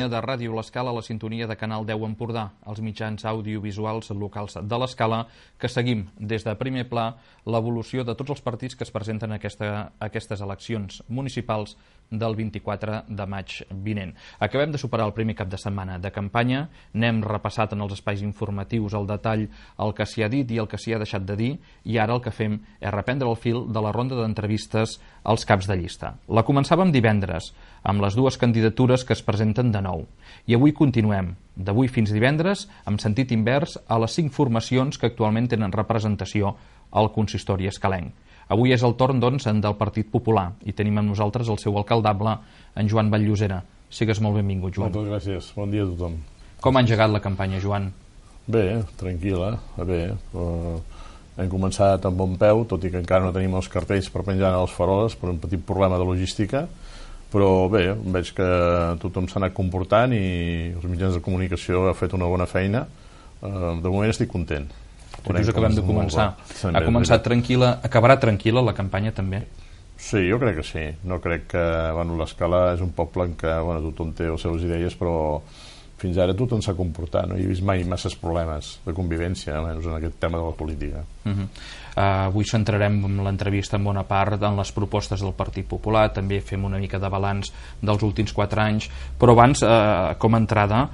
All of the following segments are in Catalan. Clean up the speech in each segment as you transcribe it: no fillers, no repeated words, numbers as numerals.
sintonia de Ràdio L'Escala, la sintonia de Canal 10 Empordà, els mitjans audiovisuals locals de l'Escala, que seguim des de primer pla l'evolució de tots els partits que es presenten a aquestes eleccions municipals del 24 de maig vinent. Acabem de superar el primer cap de setmana de campanya, n'hem repassat en els espais informatius al detall el que s'hi ha dit i el que s'hi ha deixat de dir, i ara el que fem és reprendre el fil de la ronda d'entrevistes als caps de llista. La començàvem divendres, amb les dues candidatures que es presenten de nou. I avui continuem, d'avui fins divendres, amb sentit invers a les 5 formacions que actualment tenen representació al consistori escalenc. Avui és el torn, doncs, del Partit Popular i tenim amb nosaltres el seu alcaldable, en Joan Vall-llosera. Sigues molt benvingut, Joan. Moltes gràcies. Bon dia a tothom. Com ha engegat la campanya, Joan? Bé, tranquil·la, bé. Hem començat amb bon peu, tot i que encara no tenim els cartells per penjar a les faroles per un petit problema de logística, però bé, veig que tothom s'ha anat comportant i els mitjans de comunicació han fet una bona feina. De moment estic content. Tot just acabem de començar. Ha començat tranquil·la, acabarà tranquil·la la campanya també? Sí, jo crec que sí. No crec que... l'Escala és un poble en què tothom té les seves idees, però fins ara tothom s'ha comportat. No hi he vist mai masses problemes de convivència, almenys en aquest tema de la política. Avui centrarem l'entrevista en bona part en les propostes del Partit Popular, també fem una mica de balanç dels últims 4 anys, però abans, com a entrada,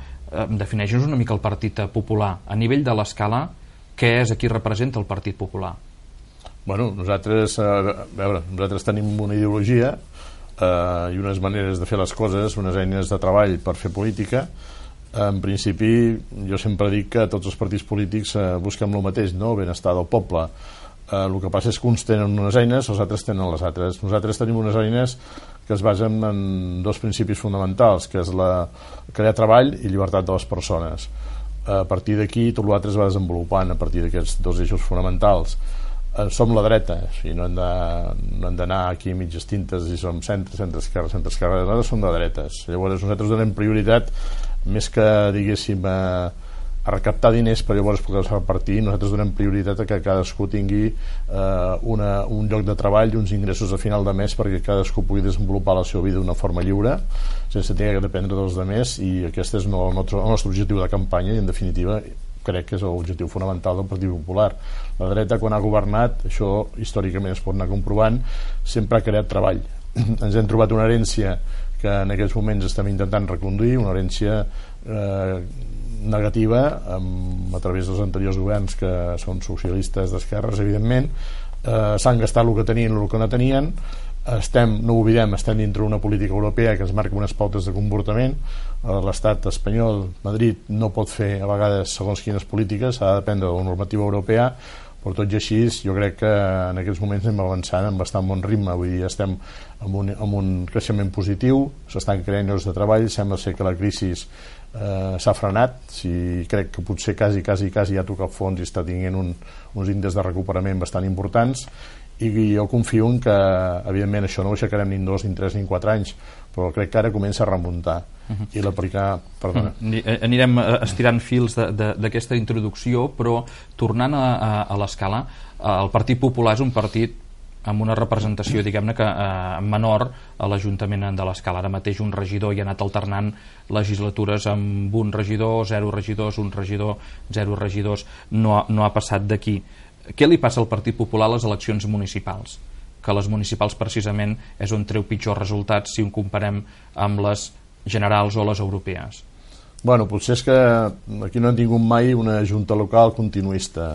defineix-nos una mica el Partit Popular. A nivell de l'Escala, què és, a qui representa el Partit Popular? Bueno, nosaltres tenim una ideologia i unes maneres de fer les coses, unes eines de treball per fer política. En principi, jo sempre dic que tots els partits polítics busquem el mateix, no? El benestar del poble. El que passa és que uns tenen unes eines, els altres tenen les altres. Nosaltres tenim unes eines que es basen en 2 principis fonamentals, que és crear treball i llibertat de les persones. A partir d'aquí tot l'altre es va desenvolupant a partir d'aquests 2 eixos fonamentals. Som la dreta, i no hem d'anar aquí a mitges tintes i som centre-esquerra, nosaltres som de dretes. Llavors nosaltres donem prioritat, més que diguéssim a recaptar diners per llavors poder repartir, nosaltres donem prioritat a que cadascú tingui un lloc de treball i uns ingressos a final de mes perquè cadascú pugui desenvolupar la seva vida d'una forma lliure sense tenir que dependre dels altres, i aquest és el nostre objectiu de campanya i en definitiva crec que és l'objectiu fonamental del Partit Popular. La dreta quan ha governat, això històricament es pot anar comprovant, sempre ha creat treball. Ens hem trobat una herència que en aquests moments estem intentant reconduir, una herència negativa a través dels anteriors governs que són socialistes d'esquerres, evidentment. S'han gastat el que tenien i el que no tenien. No ho oblidem, estem dintre una política europea que es marca unes pautes de comportament. L'estat espanyol, Madrid, no pot fer a vegades segons quines polítiques, ha de dependre de la normativa europea, però tot i així jo crec que en aquests moments anem avançant amb bastant bon ritme. Vull dir, estem amb un creixement positiu, s'estan creant llocs de treball, sembla ser que la crisi s'ha frenat, crec que potser quasi ja ha tocat fons i està tinguent uns índexs de recuperament bastant importants, i jo confio en que evidentment això no ho aixecarem ni en 2, ni en 3, ni en 4 anys, però crec que ara comença a remuntar i l'aplicar... Anirem estirant fils d'aquesta introducció, però tornant a l'Escala, el Partit Popular és un partit amb una representació, diguem-ne, que menor a l'Ajuntament de l'Escala. Ara mateix un regidor i ha anat alternant legislatures amb un regidor, 0 regidors, un regidor, 0 regidors, no ha passat d'aquí. Què li passa al Partit Popular a les eleccions municipals? Que les municipals precisament és on treu pitjors resultats si ho comparem amb les generals o les europees. Bueno, potser és que aquí no hem tingut mai una junta local continuista.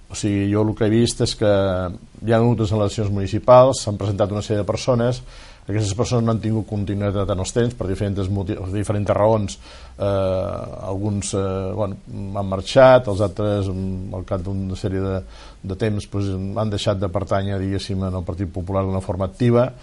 O sigui, jo el que he vist és que hi ha hagut les eleccions municipals, s'han presentat una sèrie de persones, aquestes persones no han tingut continuïtat en els temps per diferents raons. Alguns han marxat, els altres al cap d'una sèrie de temps han deixat de pertànyer, diguéssim, al Partit Popular d'una forma activa,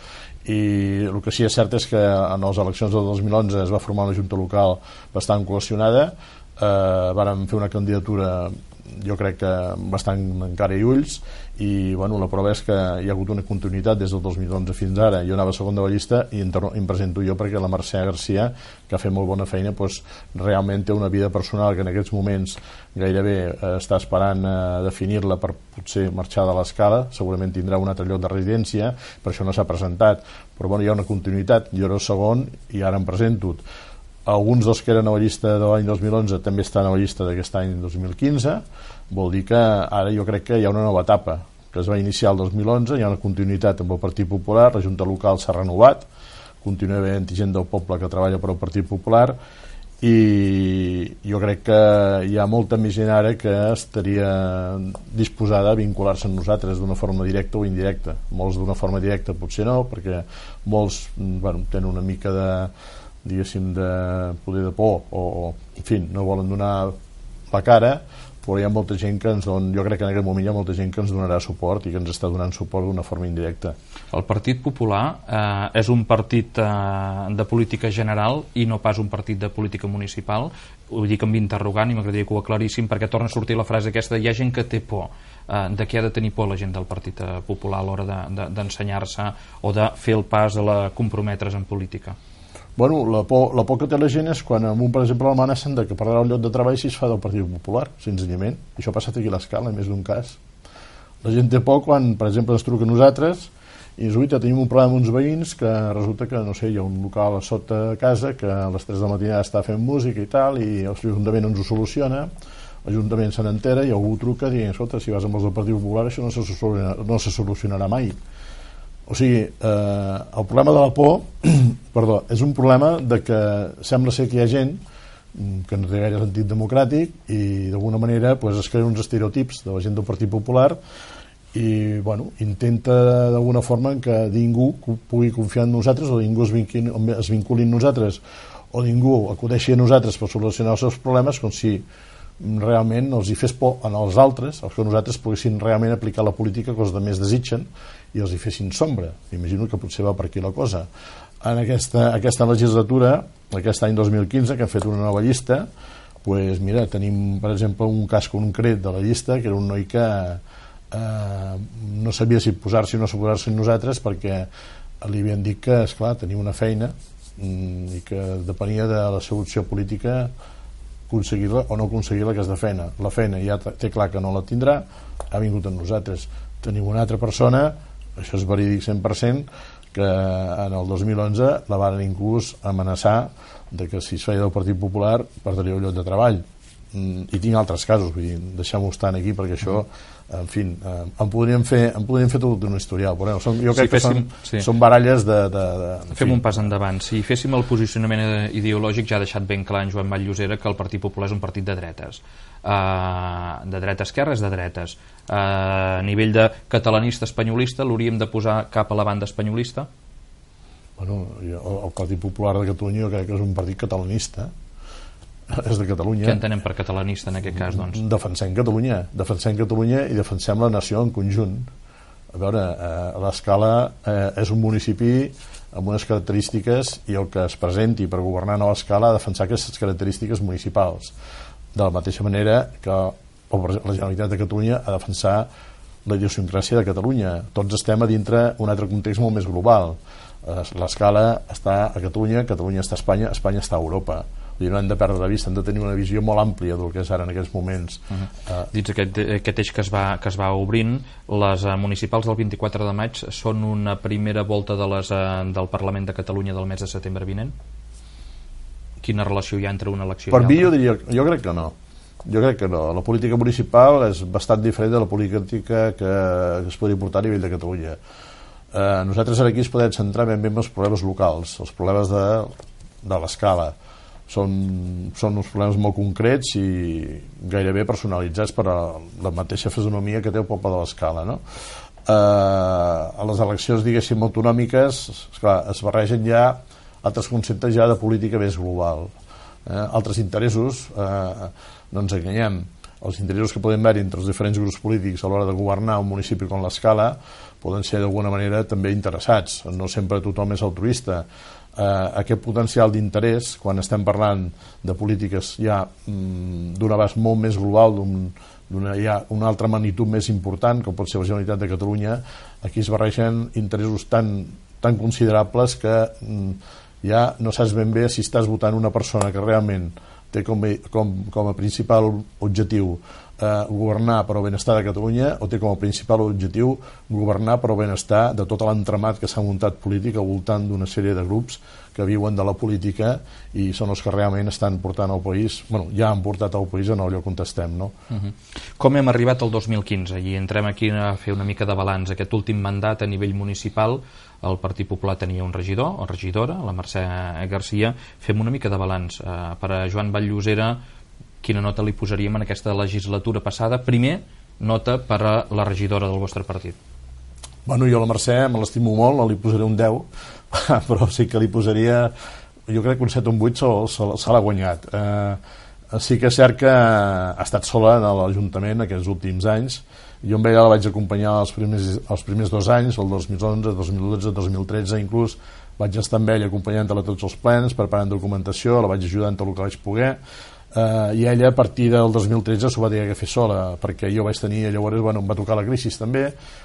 i el que sí és cert és que en les eleccions del 2011 es va formar una junta local bastant cohesionada, vàrem fer una candidatura jo crec que bastant encara i ulls, i la prova és que hi ha hagut una continuïtat des del 2011 fins ara. Jo anava segon de la llista i em presento jo perquè la Mercè Garcia, que ha fet molt bona feina, realment té una vida personal que en aquests moments gairebé està esperant definir-la per potser marxar de l'Escala, segurament tindrà un altre lloc de residència, per això no s'ha presentat, però hi ha una continuïtat. Jo era el segon i ara em presento. alguns dels que eren a la llista de l'any 2011 també estan a la llista d'aquest any 2015. Vol dir que ara jo crec que hi ha una nova etapa que es va iniciar el 2011, hi ha una continuïtat amb el Partit Popular, la Junta Local s'ha renovat, continua havent gent del poble que treballa per al Partit Popular, i jo crec que hi ha molta més gent ara que estaria disposada a vincular-se amb nosaltres d'una forma directa o indirecta. Molts d'una forma directa potser no, perquè molts tenen una mica de, diguéssim, de poder de por o en fi, no volen donar la cara, però hi ha molta gent que ens dona, jo crec que en aquest moment hi ha molta gent que ens donarà suport i que ens està donant suport d'una forma indirecta. El Partit Popular és un partit de política general i no pas un partit de política municipal. Ho dic amb interrogant i m'agradaria que ho aclaríssim, perquè torna a sortir la frase aquesta: hi ha gent que té por. De què ha de tenir por la gent del Partit Popular a l'hora d'ensenyar-se o de fer el pas a comprometre's en política? Bueno, la por que té la gent és quan, per exemple, l'amenacen de que perdrà el lloc de treball si es fa del Partit Popular, senzillament. Això ha passat aquí a l'Escala, en més d'un cas. La gent té por quan, per exemple, ens truca a nosaltres i ens diu: tenim un problema amb uns veïns que resulta que, no sé, hi ha un local a sota de casa que a les 3 de la matinada està fent música i tal, i l'Ajuntament ens ho soluciona, l'Ajuntament se n'entera i algú truca dient: escolta, si vas amb els del Partit Popular això no se solucionarà mai. O sigui, el problema de la por perdó, és un problema de que sembla ser que hi ha gent que no té gaire sentit democràtic i d'alguna manera es creen uns estereotips de la gent del Partit Popular i intenta d'alguna forma que ningú pugui confiar en nosaltres o ningú es vinculi en nosaltres o ningú acudeixi a nosaltres per solucionar els seus problemes, com si realment els hi fes por als altres, els que nosaltres poguessin realment aplicar la política que els altres desitgen i els hi fessin sombra. Imagino que potser va per aquí la cosa. En aquesta legislatura, aquest any 2015, que hem fet una nova llista, mira, tenim, per exemple, un cas concret de la llista, que era un noi que no sabia si posar-se o no posar-se en nosaltres, perquè li havien dit que, esclar, tenia una feina i que depenia de la seva opció política aconseguir-la o no aconseguir-la, aquesta feina. La feina ja té clar que no la tindrà, ha vingut amb nosaltres. Tenim una altra persona, això és verídic 100%, que en el 2011 la van inclús amenaçar de que si es feia del Partit Popular perdria el lloc de treball. I tinc altres casos, vull dir, deixem-ho estar aquí perquè això, en fi, en podríem fer tot un historial, però jo crec que són baralles de fem un pas endavant. Si féssim el posicionament ideològic, ja ha deixat ben clar en Joan Vall-Llosera que el Partit Popular és un partit de dretes. De dreta-esquerra és de dretes. A nivell de catalanista-espanyolista l'hauríem de posar cap a la banda espanyolista? Bueno, el Partit Popular de Catalunya jo crec que és un partit catalanista, és de Catalunya. Què entenem per catalanista en aquest cas, doncs? Defensem Catalunya i defensem la nació en conjunt. A veure, l'Escala és un municipi amb unes característiques i el que es presenti per governar a l'Escala ha de defensar aquestes característiques municipals. De la mateixa manera que la Generalitat de Catalunya ha de defensar la idiosincràsia de Catalunya. Tots estem a dintre un altre context molt més global. L'Escala està a Catalunya, Catalunya està a Espanya, Espanya està a Europa. I no hem de perdre de vista, hem de tenir una visió molt àmplia del que és ara en aquests moments. Dins aquest eix que es va obrint, les municipals del 24 de maig són una primera volta del Parlament de Catalunya del mes de setembre vinent? Quina relació hi ha entre una elecció i l'altra? Per mi jo crec que no. Jo crec que no. La política municipal és bastant diferent de la política que es podria portar a nivell de Catalunya. Nosaltres ara aquí es podem centrar ben bé en els problemes locals, els problemes de l'Escala. Són uns problemes molt concrets i gairebé personalitzats per a la mateixa fisonomia que té el poble de l'Escala, no? A les eleccions, diguéssim, autonòmiques, esclar, es barregen ja altres conceptes ja de política més global, altres interessos, no ens enganyem, els interessos que poden haver entre els diferents grups polítics a l'hora de governar un municipi com l'Escala poden ser d'alguna manera també interessats, no sempre tothom és altruista. Aquest potencial d'interès, quan estem parlant de polítiques ja d'un abast molt més global, d'una altra magnitud més important, com pot ser la Generalitat de Catalunya, aquí es barregen interessos tan considerables que ja no saps ben bé si estàs votant una persona que realment té com a principal objectiu governar per al benestar de Catalunya, o té com a principal objectiu governar per al benestar de tot l'entramat que s'ha muntat polític al voltant d'una sèrie de grups que viuen de la política i són els que realment estan portant el país, ja han portat el país en el lloc on estem, no? Com hem arribat al 2015? I entrem aquí a fer una mica de balanç. Aquest últim mandat a nivell municipal, el Partit Popular tenia un regidor o regidora, la Mercè Garcia. Fem una mica de balanç. Per a Joan Vall-llosera, quina nota li posaríem en aquesta legislatura passada? Primer, nota per a la regidora del vostre partit. Bueno, jo la Mercè me l'estimo molt, no li posaré un 10, però sí que li posaria, jo crec que un 7 o un 8 se l'ha guanyat. Sí que és cert que ha estat sola a l'Ajuntament aquests últims anys. Jo amb ella la vaig acompanyar els primers 2 anys, el 2011, 2012, 2013 inclús, vaig estar amb ella acompanyant-la a tots els plens, preparant documentació, la vaig ajudar en tot el que vaig poder, i ella a partir del 2013 s'ho va dir que fer sola, perquè jo vaig tenir, llavors em va tocar la crisi també,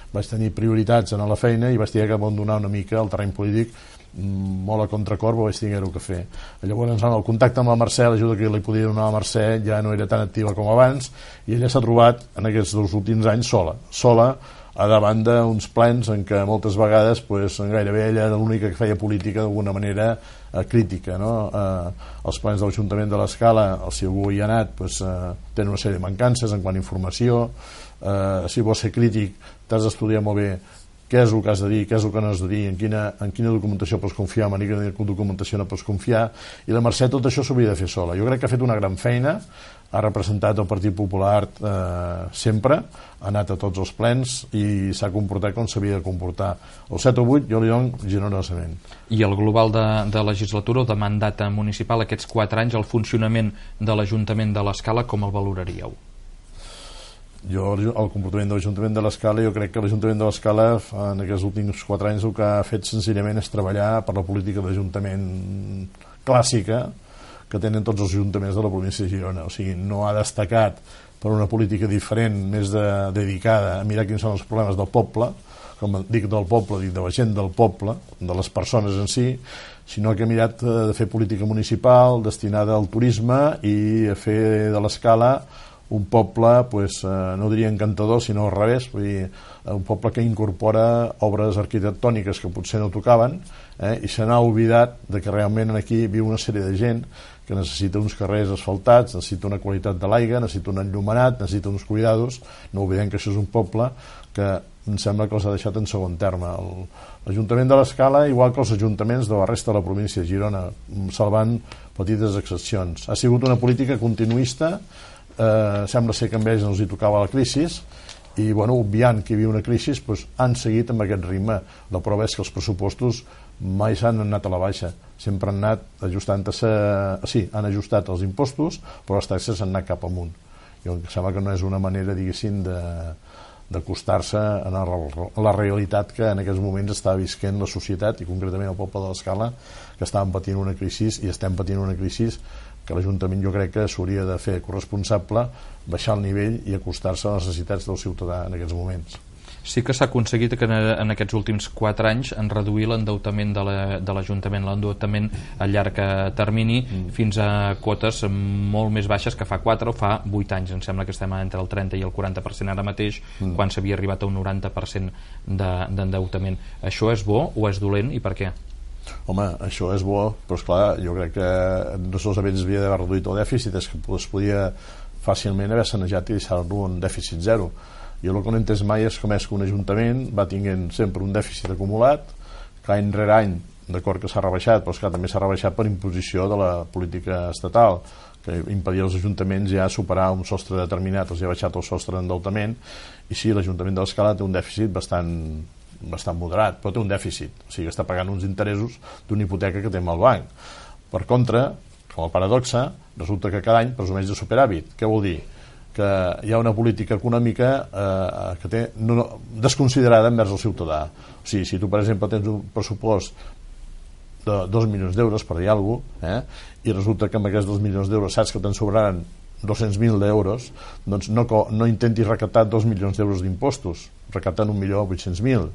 vaig tenir prioritats en la feina i vaig tenir que abandonar una mica el terreny polític molt a contracor, però vaig tenir-ho que fer. Llavors el contacte amb la Mercè, l'ajuda que li podia donar a la Mercè ja no era tan activa com abans, i ella s'ha trobat en aquests 2 últims anys sola a davant d'uns plens en què moltes vegades gairebé ella era l'única que feia política d'alguna manera crítica, no? Els plens de l'Ajuntament de l'Escala, si algú hi ha anat, tenen una sèrie de mancances en quant a informació. Si vols ser crític t'has d'estudiar molt bé què és el que has de dir, què és el que no has de dir, en quina documentació pots confiar, en quina documentació no pots confiar, i la Mercè tot això s'hauria de fer sola. Jo crec que ha fet una gran feina, ha representat el Partit Popular sempre, ha anat a tots els plens i s'ha comportat com s'havia de comportar. El 7 o 8 jo li dono generosament. I el global de legislatura o de mandat municipal, aquests 4 anys, el funcionament de l'Ajuntament de l'Escala, com el valoraríeu? Jo, el comportament de l'Ajuntament de l'Escala, jo crec que l'Ajuntament de l'Escala en aquests últims 4 anys el que ha fet senzillament és treballar per la política d'Ajuntament clàssica que tenen tots els ajuntaments de la província de Girona. O sigui, no ha destacat per una política diferent, més dedicada a mirar quins són els problemes del poble, com dic del poble, dic de la gent del poble, de les persones en si, sinó que ha mirat de fer política municipal destinada al turisme i a fer de l'Escala un poble, no diria encantador, sinó al revés, vull dir, un poble que incorpora obres arquitectòniques que potser no tocaven, i se n'ha oblidat de que realment aquí viu una sèrie de gent que necessita uns carrers asfaltats, necessita una qualitat de l'aigua, necessita un enllumenat, necessita uns cuidados. No oblidem que això és un poble que em sembla que els ha deixat en segon terme. L'Ajuntament de l'Escala, igual que els ajuntaments de la resta de la província de Girona, salvant petites excepcions. Ha sigut una política continuista, sembla ser que amb ells no els hi tocava la crisi i obviant que hi havia una crisi han seguit amb aquest ritme. La prova és que els pressupostos mai s'han anat a la baixa, sempre han anat ajustant-se, sí, han ajustat els impostos però les taxes han anat cap amunt. Jo em sembla que no és una manera, diguéssim, d'acostar-se a la realitat que en aquests moments està visquent la societat i concretament el poble de l'Escala, que estàvem patint una crisi i estem patint una crisi que l'Ajuntament jo crec que s'hauria de fer corresponsable, baixar el nivell i acostar-se a les necessitats del ciutadà en aquests moments. Sí que s'ha aconseguit que en aquests últims 4 anys en reduir l'endeutament de l'Ajuntament, l'endeutament a llarg termini, fins a quotes molt més baixes que fa 4 o fa 8 anys. Em sembla que estem entre el 30 i el 40% ara mateix, quan s'havia arribat a un 90% d'endeutament. Això és bo o és dolent i per què? Home, això és bo, però esclar, jo crec que no solament s'havia d'haver reduït el dèficit, és que es podia fàcilment haver sanejat i deixar-lo en dèficit zero. Jo el que no he entès mai és com és que un ajuntament va tinguent sempre un dèficit acumulat, que any rere any, d'acord que s'ha rebaixat, però esclar, també s'ha rebaixat per imposició de la política estatal, que impedia als ajuntaments ja superar un sostre determinat, els ha baixat el sostre d'endeutament, i sí, l'Ajuntament de l'Escala té un dèficit bastant moderat, però té un dèficit, o sigui que està pagant uns interessos d'una hipoteca que té amb el banc. Per contra, com a paradoxa, resulta que cada any presumeix de superàvit. Què vol dir? Que hi ha una política econòmica que té desconsiderada envers el ciutadà. O sigui, si tu per exemple tens un pressupost de 2 milions d'euros, per dir alguna cosa, i resulta que amb aquests 2 milions d'euros saps que te'n sobraran 200.000 d'euros, doncs no intentis recaptar 2 milions d'euros d'impostos, recaptant 1.800.000.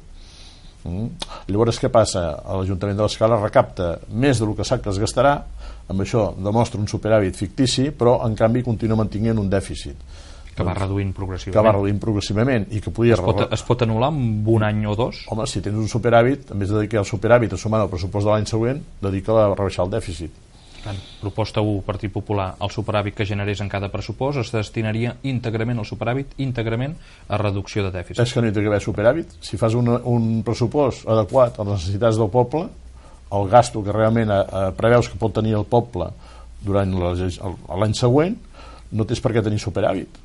Llavors què passa? L'Ajuntament de l'Escala recapta més del que sap que es gastarà, amb això demostra un superàvit fictici, però en canvi continua mantenint un dèficit que va reduint progressivament i que podia... Es pot anul·lar en un any o dos? Home, si tens un superàvit, en vez de dedicar el superàvit a sumar el pressupost de l'any següent, dedica a rebaixar el dèficit. Proposta 1, Partit Popular, el superàvit que generés en cada pressupost es destinaria íntegrament al superàvit, íntegrament a reducció de dèficit. És que no hi té que haver superàvit. Si fas un pressupost adequat a les necessitats del poble, el gasto que realment preveus que pot tenir el poble durant l'any següent, no tens per què tenir superàvit.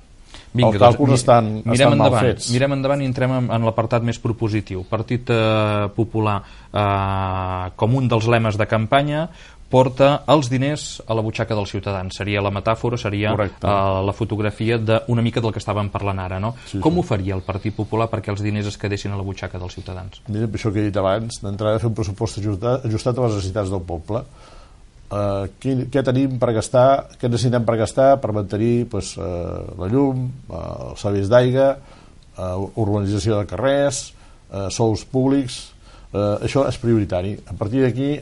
Vinga, els càlculs estan mal fets. Mirem endavant i entrem en l'apartat més propositiu. Partit Popular, com un dels lemes de campanya, porta els diners a la butxaca dels ciutadans. Seria la metàfora, seria la fotografia d'una mica del que estàvem parlant ara, no? Sí, com ho faria el Partit Popular perquè els diners es quedessin a la butxaca dels ciutadans? Mira, per això que he dit abans, d'entrada fer un pressupost ajustat a les necessitats del poble. Què tenim per gastar, què necessitem per gastar per mantenir la llum, els serveis d'aigua, urbanització de carrers, sous públics. Això és prioritari. A partir d'aquí,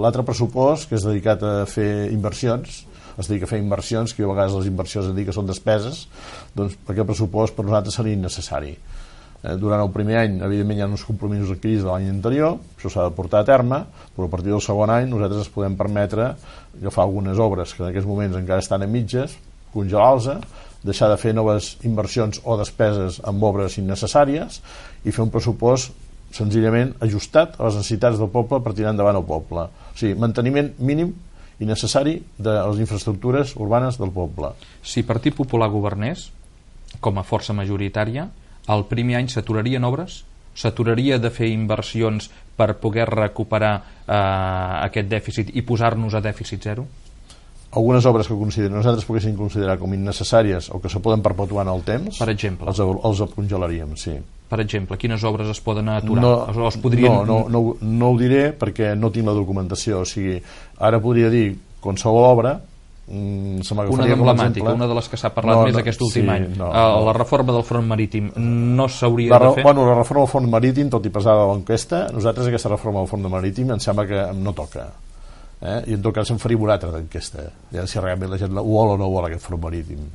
l'altre pressupost, que és dedicat a fer inversions, es dedica a fer inversions, que a vegades les inversions es diuen que són despeses, doncs aquest pressupost per nosaltres seria innecessari. Durant el primer any, evidentment, hi ha uns compromisos adquirits de l'any anterior, això s'ha de portar a terme, però a partir del segon any nosaltres ens podem permetre agafar algunes obres que en aquests moments encara estan a mitges, congelar-los, deixar de fer noves inversions o despeses amb obres innecessàries i fer un pressupost senzillament ajustat a les necessitats del poble per tirar endavant el poble. O sigui, manteniment mínim i necessari de les infraestructures urbanes del poble. Si Partit Popular governés, com a força majoritària, el primer any s'aturarien obres? S'aturaria de fer inversions per poder recuperar aquest dèficit i posar-nos a dèficit zero? Algunes obres que nosaltres poguéssim considerar com innecessàries o que se poden perpetuar en el temps, per exemple, els congelaríem, sí. Per exemple, quines obres es poden aturar? No ho diré perquè no tinc la documentació. O sigui, ara podria dir qualsevol obra. Una d'emblemàtica, una de les que s'ha parlat més aquest últim any, la reforma del front marítim no s'hauria de fer? La reforma del front marítim, tot i pesada de l'enquesta, nosaltres aquesta reforma del front marítim em sembla que no toca, i en tot cas en faríem una altra d'enquesta, ja si realment la gent ho vol o no vol aquest front marítim,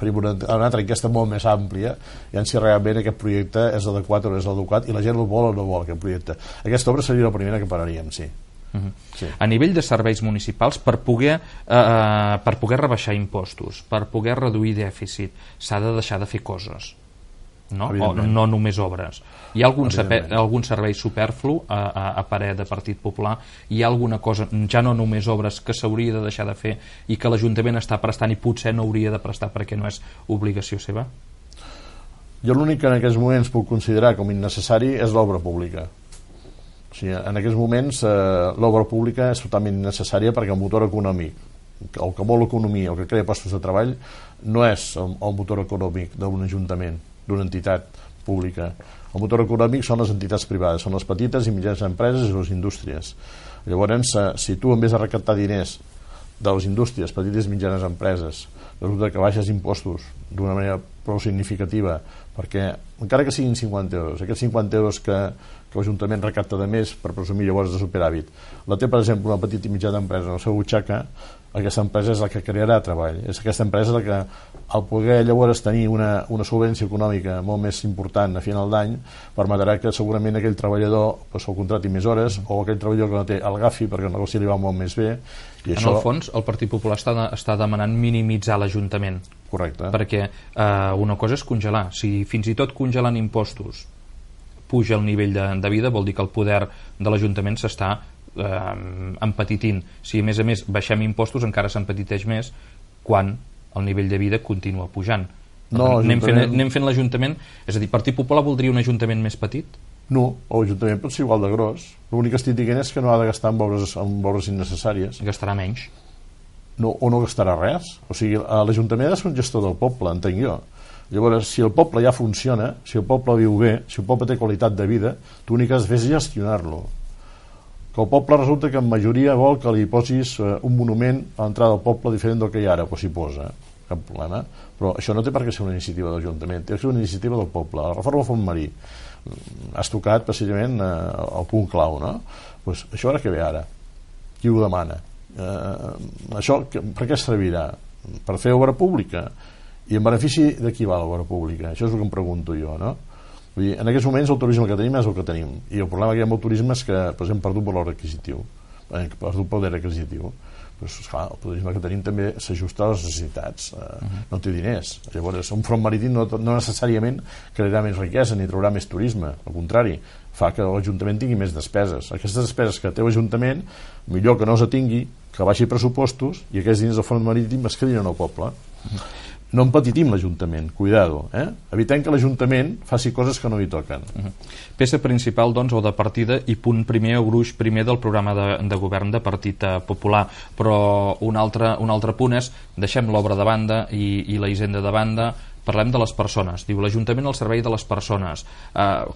faríem una altra enquesta molt més àmplia, ja si realment aquest projecte és adequat o no és adequat i la gent ho vol o no vol aquest projecte. Aquesta obra seria la primera que pararíem, sí. Sí. A nivell de serveis municipals, per poder rebaixar impostos, per poder reduir dèficit, s'ha de deixar de fer coses, no? O no només obres. Hi ha algun servei superflu a parer de Partit Popular? Hi ha alguna cosa, ja no només obres, que s'hauria de deixar de fer i que l'Ajuntament està prestant i potser no hauria de prestar perquè no és obligació seva? Jo l'únic que en aquests moments puc considerar com innecessari és l'obra pública. O sigui, en aquests moments l'obra pública és totalment innecessària perquè el motor econòmic, el que vol l'economia, el que crea postos de treball, no és el motor econòmic d'un ajuntament, d'una entitat pública. El motor econòmic són les entitats privades, són les petites i mitjanes empreses i les indústries. Llavors, si tu en vez de recaptar diners de les indústries, petites i mitjanes empreses, resulta que baixes impostos d'una manera prou significativa, perquè encara que siguin 50 euros, aquests 50 euros que l'Ajuntament recapta de més per presumir llavors de superàvit, la té per exemple una petita i mitjana empresa en la seva butxaca, aquesta empresa és la que crearà treball, és aquesta empresa la que al poder llavors tenir una solvència econòmica molt més important a final d'any permetrà que segurament aquell treballador el contrati més hores o aquell treballador que no té el agafi perquè el negoci li va molt més bé. I en el fons el Partit Popular està demanant minimitzar l'Ajuntament. Correcte. Perquè una cosa és congelar. Si fins i tot congelant impostos puja el nivell de vida, vol dir que el poder de l'Ajuntament s'està empetitint. Si a més baixem impostos encara s'empetiteix més quan el nivell de vida continua pujant. Anem fent l'Ajuntament, és a dir, Partit Popular voldria un Ajuntament més petit? No, l'Ajuntament pot ser igual de gros. L'únic que estic dient és que no ha de gastar en obres innecessàries. Gastarà menys? No, o no gastarà res. O sigui, l'Ajuntament ha de ser un gestor del poble, entenc jo. Llavors, si el poble ja funciona, si el poble viu bé, si el poble té qualitat de vida, tu l'únic que has de fer és gestionar-lo. Que el poble resulta que en majoria vol que li posis un monument a l'entrada del poble diferent del que hi ha ara, però s'hi posa, cap problema. Però això no té per què ser una iniciativa de l'Ajuntament, té que ser una iniciativa del poble. La reforma del Font Marí. has tocat precisament el punt clau, no? Pues això ara què ve ara? Qui ho demana? Això per què servirà? Per fer obra pública? I en benefici de qui va l'obra pública? Això és el que em pregunto jo, no? Vull dir, en aquests moments el turisme que tenim és el que tenim, i el problema que hi ha amb el turisme és que hem perdut valor adquisitiu, hem perdut poder adquisitiu. Pues, clar, el turisme que tenim també s'ajusta a les necessitats, no té diners. Llavors un front marítim no necessàriament crearà més riquesa ni traurà més turisme, al contrari, fa que l'Ajuntament tingui més despeses. Aquestes despeses que té l'Ajuntament millor que no els tingui, que baixi pressupostos i aquests diners del front marítim es quedin al poble. No empetitim l'Ajuntament, cuidado, evitem que l'Ajuntament faci coses que no hi toquen. Peça principal, doncs, o de partida i punt primer o gruix primer del programa de govern de Partit Popular, però un altre punt és deixem l'obra de banda i la hisenda de banda, parlem de les persones. Diu l'Ajuntament al servei de les persones.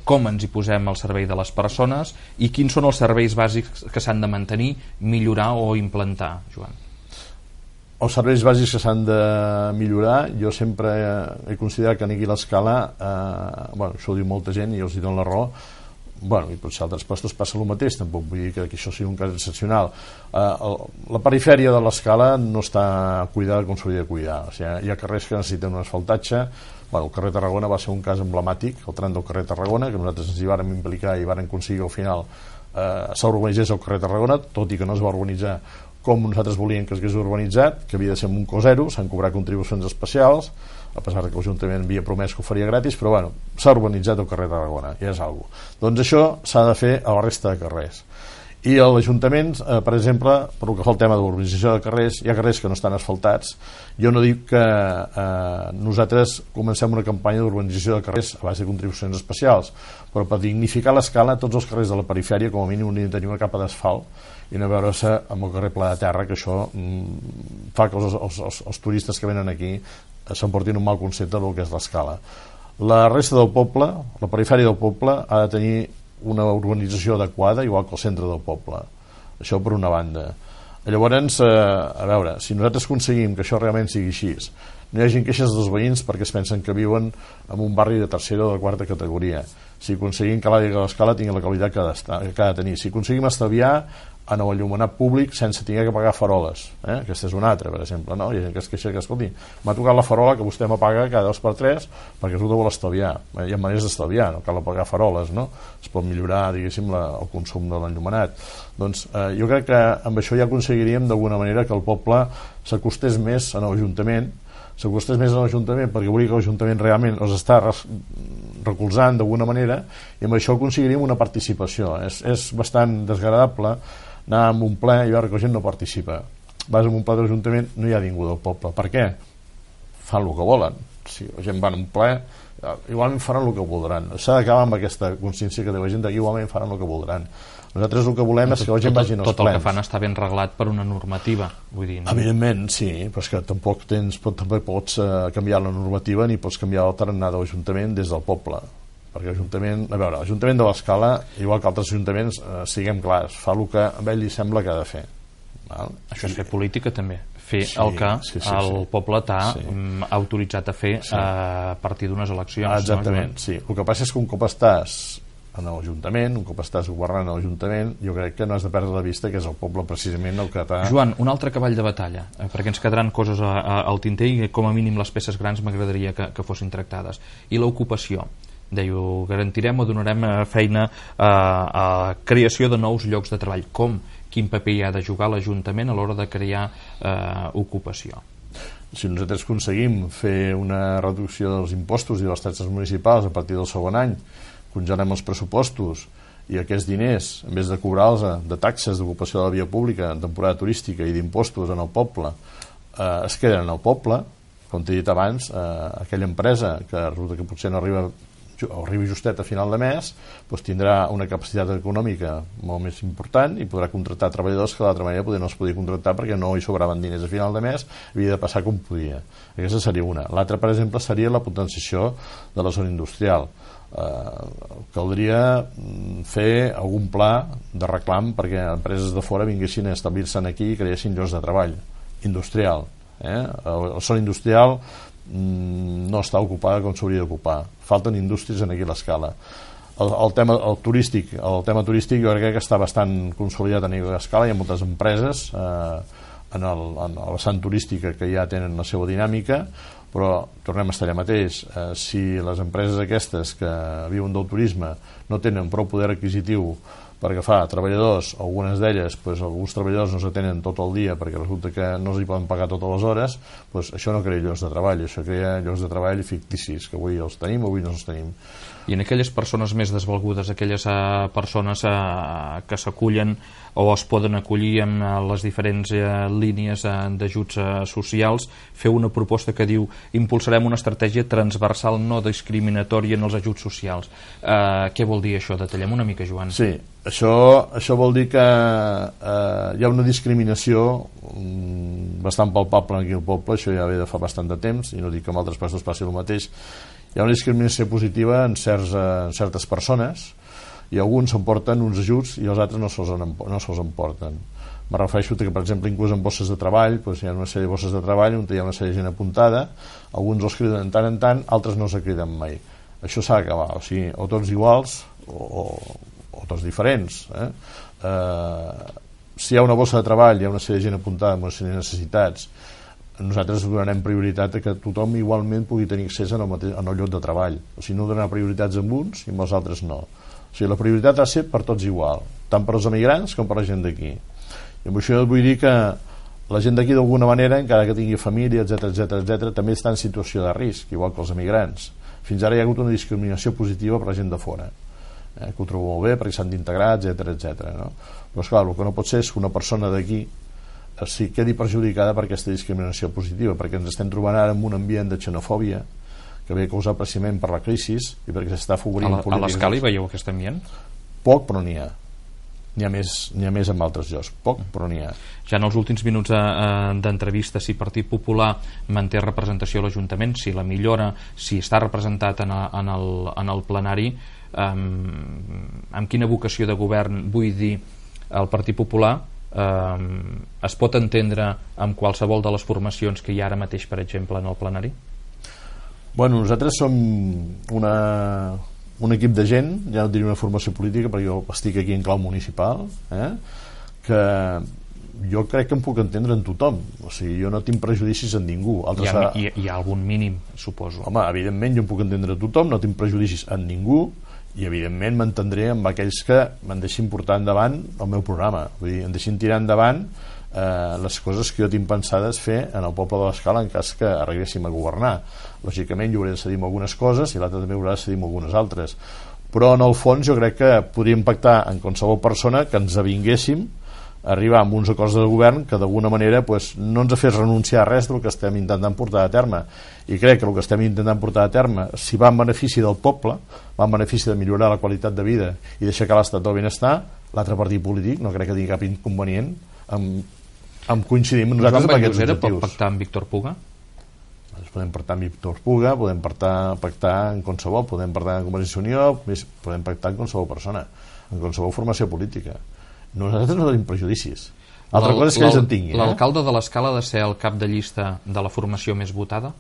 Com ens hi posem al servei de les persones i quins són els serveis bàsics que s'han de mantenir, millorar o implantar, Joan? Els serveis bàsics que s'han de millorar, jo sempre he considerat que aquí a l'Escala, això ho diu molta gent i els hi dono la raó, i potser a altres postos passa el mateix, tampoc vull dir que això sigui un cas excepcional. La perifèria de l'Escala no està cuidada com s'hauria de cuidar, o sigui, hi ha carrers que necessiten un asfaltatge. El carrer Tarragona va ser un cas emblemàtic, el tram del carrer Tarragona, que nosaltres ens hi vàrem implicar i vàrem aconseguir al final s'urbanitzés el carrer Tarragona, tot i que no es va urbanitzar com nosaltres volíem que es hagués urbanitzat, que havia de ser amb un cost zero, s'han cobrat contribucions especials, a pesar que l'Ajuntament havia promès que ho faria gratis, però s'ha urbanitzat el carrer Tarragona, ja és alguna cosa. Doncs això s'ha de fer a la resta de carrers. I a l'Ajuntament, per exemple, per el que fa el tema de l'urbanització de carrers, hi ha carrers que no estan asfaltats. Jo no dic que nosaltres comencem una campanya d'urbanització de carrers a base de contribucions especials, però per dignificar l'Escala, tots els carrers de la perifèria com a mínim han de tenir una capa d'asfalt i no veure-se amb el carrer Pla de Terra, que això fa que els turistes que venen aquí s'emportin un mal concepte del que és l'Escala. La resta del poble, la perifèria del poble, ha de tenir una urbanització adequada, igual que el centre del poble. Això per una banda. Llavors, a veure, si nosaltres aconseguim que això realment sigui així, no hi hagi queixes dels veïns perquè es pensen que viuen en un barri de tercera o de quarta categoria, si aconseguim que l'àrea de l'Escala tingui la qualitat que ha de tenir, si aconseguim estalviar en el enllumenat públic sense haver que pagar faroles, aquesta és una altra, per exemple, no? Hi ha gent que es queixa que, escolti, m'ha tocat la farola que vostè m'apaga cada 2 per 3 perquè resulta vol estalviar. Hi ha maneres d'estalviar, no cal pagar faroles, no? Es pot millorar, diguéssim, el consum de l'enllumenat. Doncs jo crec que amb això ja aconseguiríem d'alguna manera que el poble s'acostés més a l'Ajuntament, perquè volia que l'Ajuntament realment els està recolzant d'alguna manera, i amb això aconseguiríem una participació. És bastant desagradable anar a un ple i veure que la gent no participa. Vas a un ple de l'Ajuntament, no hi ha ningú del poble. Per què? Fan el que volen. Si la gent va a un ple, igualment faran el que voldran. S'ha d'acabar amb aquesta consciència que té la gent que igualment faran el que voldran. Nosaltres el que volem és que la gent vagi als plens. Tot el que fan està ben reglat per una normativa, vull dir, no? Evidentment, sí, però és que tampoc pots canviar la normativa ni pots canviar el tarannà de l'Ajuntament des del poble, perquè l'Ajuntament de l'Escala, igual que altres ajuntaments, siguem clars, fa el que a ell li sembla que ha de fer. Això és fer política també, fer el que el poble t'ha autoritzat a fer a partir d'unes eleccions. Exactament, sí. El que passa és que un cop estàs en l'Ajuntament, un cop estàs governant l'Ajuntament, jo crec que no has de perdre de vista que és el poble precisament el que t'ha... Joan, un altre cavall de batalla, perquè ens quedaran coses al tinter i com a mínim les peces grans m'agradaria que fossin tractades. I l'ocupació. Deia, garantirem o donarem feina a creació de nous llocs de treball. Com? Quin paper hi ha de jugar l'Ajuntament a l'hora de crear ocupació? Si nosaltres aconseguim fer una reducció dels impostos i de les taxes municipals a partir del segon any, congelem els pressupostos i aquests diners, en vez de cobrar-los de taxes d'ocupació de la via pública en temporada turística i d'impostos en el poble, es queden en el poble, com t'he dit abans, aquella empresa que resulta que potser no arribi justet a final de mes, doncs tindrà una capacitat econòmica molt més important i podrà contractar treballadors que d'altra manera no es podia contractar perquè no hi sobraven diners a final de mes, havia de passar com podia. Aquesta seria una. L'altra, per exemple, seria la potenciació de la zona industrial. Caldria fer algun pla de reclam perquè empreses de fora vinguessin a establir-se aquí i creessin llocs de treball industrial. La zona industrial no està ocupada com s'hauria d'ocupar. Falten indústries aquí a l'Escala. El tema turístic jo crec que està bastant consolidat a nivell d'escala. Hi ha moltes empreses en la vessant turística que ja tenen la seva dinàmica, però tornem a estar allà mateix. Si les empreses aquestes que viuen del turisme no tenen prou poder adquisitiu per agafar treballadors, algunes d'elles, alguns treballadors no s'atenen tot el dia perquè resulta que no els hi poden pagar totes les hores, això no crea llocs de treball, això crea llocs de treball ficticis, que avui els tenim, avui no els tenim. I en aquelles persones més desvalgudes, aquelles persones que s'acullen o es poden acollir en les diferents línies d'ajuts socials, feu una proposta que diu: impulsarem una estratègia transversal no discriminatòria en els ajuts socials. Què vol dir això? Detallem una mica, Joan. Sí, això vol dir que hi ha una discriminació bastant palpable aquí al poble, això ja ve de fa bastant de temps, i no dic que en altres països passi el mateix. Hi ha una discriminació positiva en certes persones, i alguns s'emporten uns ajuts i els altres no se'ls emporten. Me refereixo que, per exemple, inclús en bosses de treball, hi ha una sèrie de bosses de treball on hi ha una sèrie de gent apuntada, alguns els criden tant en tant, altres no se criden mai. Això s'ha d'acabar, o sigui, o tots iguals o tots diferents. Si hi ha una bossa de treball, hi ha una sèrie de gent apuntada amb una sèrie de necessitats, nosaltres donarem prioritat a que tothom igualment pugui tenir accés en el lloc de treball. O sigui, no donar prioritats amb uns i amb els altres no. O sigui, la prioritat ha de ser per tots igual, tant per als emigrants com per la gent d'aquí. I amb això vull dir que la gent d'aquí d'alguna manera, encara que tingui família, etc, també està en situació de risc, igual que els emigrants. Fins ara hi ha hagut una discriminació positiva per la gent de fora, que ho trobo molt bé perquè s'han d'integrar, etc. No? Però esclar, el que no pot ser és que una persona d'aquí quedi perjudicada per aquesta discriminació positiva, perquè ens estem trobant ara en un ambient de xenofòbia que ve causat precisament per la crisi i perquè s'està afavorint polítiques. A l'Escala hi veieu aquest ambient? Poc, però n'hi ha. N'hi ha més en altres llocs. Poc, però n'hi ha. Ja en els últims minuts d'entrevista, si Partit Popular manté representació a l'Ajuntament, si la millora, si està representat en el plenari, amb quina vocació de govern vull dir el Partit Popular es pot entendre amb qualsevol de les formacions que hi ha ara mateix, per exemple, en el plenari? Bueno, nosaltres som un equip de gent, ja no diria una formació política perquè jo estic aquí en clau municipal, que jo crec que em puc entendre en tothom, o sigui, jo no tinc prejudicis en ningú. Hi ha algun mínim, suposo. Home, evidentment jo em puc entendre a tothom, no tinc prejudicis en ningú, i evidentment m'entendré amb aquells que me'n deixin portar endavant el meu programa, vull dir, em deixin tirar endavant les coses que jo tinc pensades fer en el poble de l'Escala en cas que arribéssim a governar. Lògicament jo hauré de cedir algunes coses i l'altre també haurà de cedir algunes altres, però en el fons jo crec que podríem pactar en qualsevol persona que ens avinguéssim a arribar amb uns acords de govern que d'alguna manera no ens ha fet renunciar a res del que estem intentant portar a terme, i crec que el que estem intentant portar a terme, si va en benefici del poble, va en benefici de millorar la qualitat de vida i d'aixecar l'estat del benestar, l'altre partit polític no crec que tingui cap inconvenient en coincidir amb nosaltres amb aquests objectius. Pot pactar amb Víctor Puga? Podem pactar amb Víctor Puga, podem pactar en qualsevol, podem pactar en Convergència i Unió, podem pactar amb qualsevol persona, en qualsevol formació política. Nosaltres no tenim prejudicis. Altra cosa és que ells en tinguin. L'alcalde de l'Escala ha de ser el cap de llista de la formació més votada?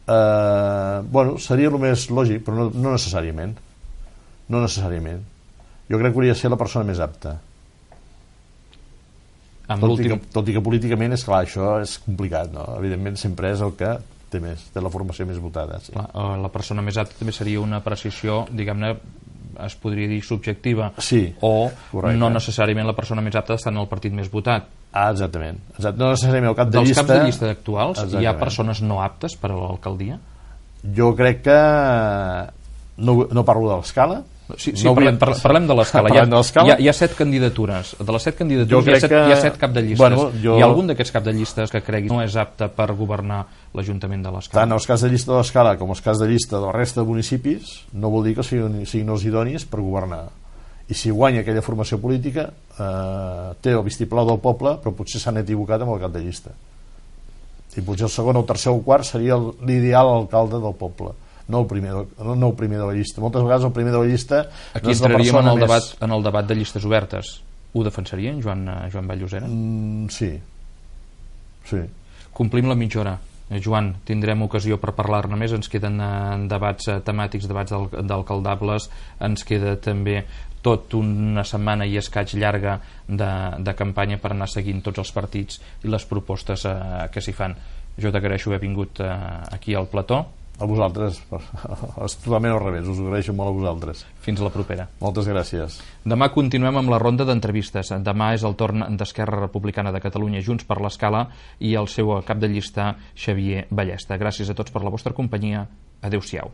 Bueno, seria el més lògic, però no necessàriament. No necessàriament. Jo crec que hauria de ser la persona més apta. Tot i que políticament, és clar, això és complicat, no? Evidentment sempre és el que té la formació més votada. Sí. La persona més apta també seria una precisió, diguem-ne, es podria dir subjectiva, sí, o correcte. No necessàriament la persona més apta està en el partit més votat. Exactament. No necessàriament el cap de llista. Dels caps de llista actuals hi ha persones no aptes per a l'alcaldia? Jo crec que no parlo de l'Escala. Sí, parlem de l'Escala. Hi ha 7 candidatures. De les 7 candidatures hi ha 7 cap de llistes. Bueno, hi ha algun d'aquests cap de llistes que cregui no és apte per governar l'Ajuntament de l'Escala? Tant els caps de llista de l'Escala com els caps de llista de la resta de municipis no vol dir que siguin els idonis per governar. I si guanya aquella formació política té el vistiplau del poble, però potser s'han equivocat amb el cap de llista. I potser el segon, el tercer o el quart seria l'ideal alcalde del poble, no el primer de la llista. Moltes vegades el primer de la llista aquí entraríem en el debat de llistes obertes. Ho defensarien, Joan Vall-Llosera? Sí. Complim la mitja hora. Joan, tindrem ocasió per parlar-ne més, ens queden debats temàtics, debats d'alcaldables, ens queda també tot una setmana i escaig llarga de campanya per anar seguint tots els partits i les propostes que s'hi fan. Jo t'agraeixo haver vingut aquí al plató. A vosaltres, és totalment al revés, us agraeixo molt a vosaltres. Fins la propera. Moltes gràcies. Demà continuem amb la ronda d'entrevistes. Demà és el torn d'Esquerra Republicana de Catalunya, Junts per l'Escala, i el seu cap de llista, Xavier Ballesta. Gràcies a tots per la vostra companyia. Adéu-siau.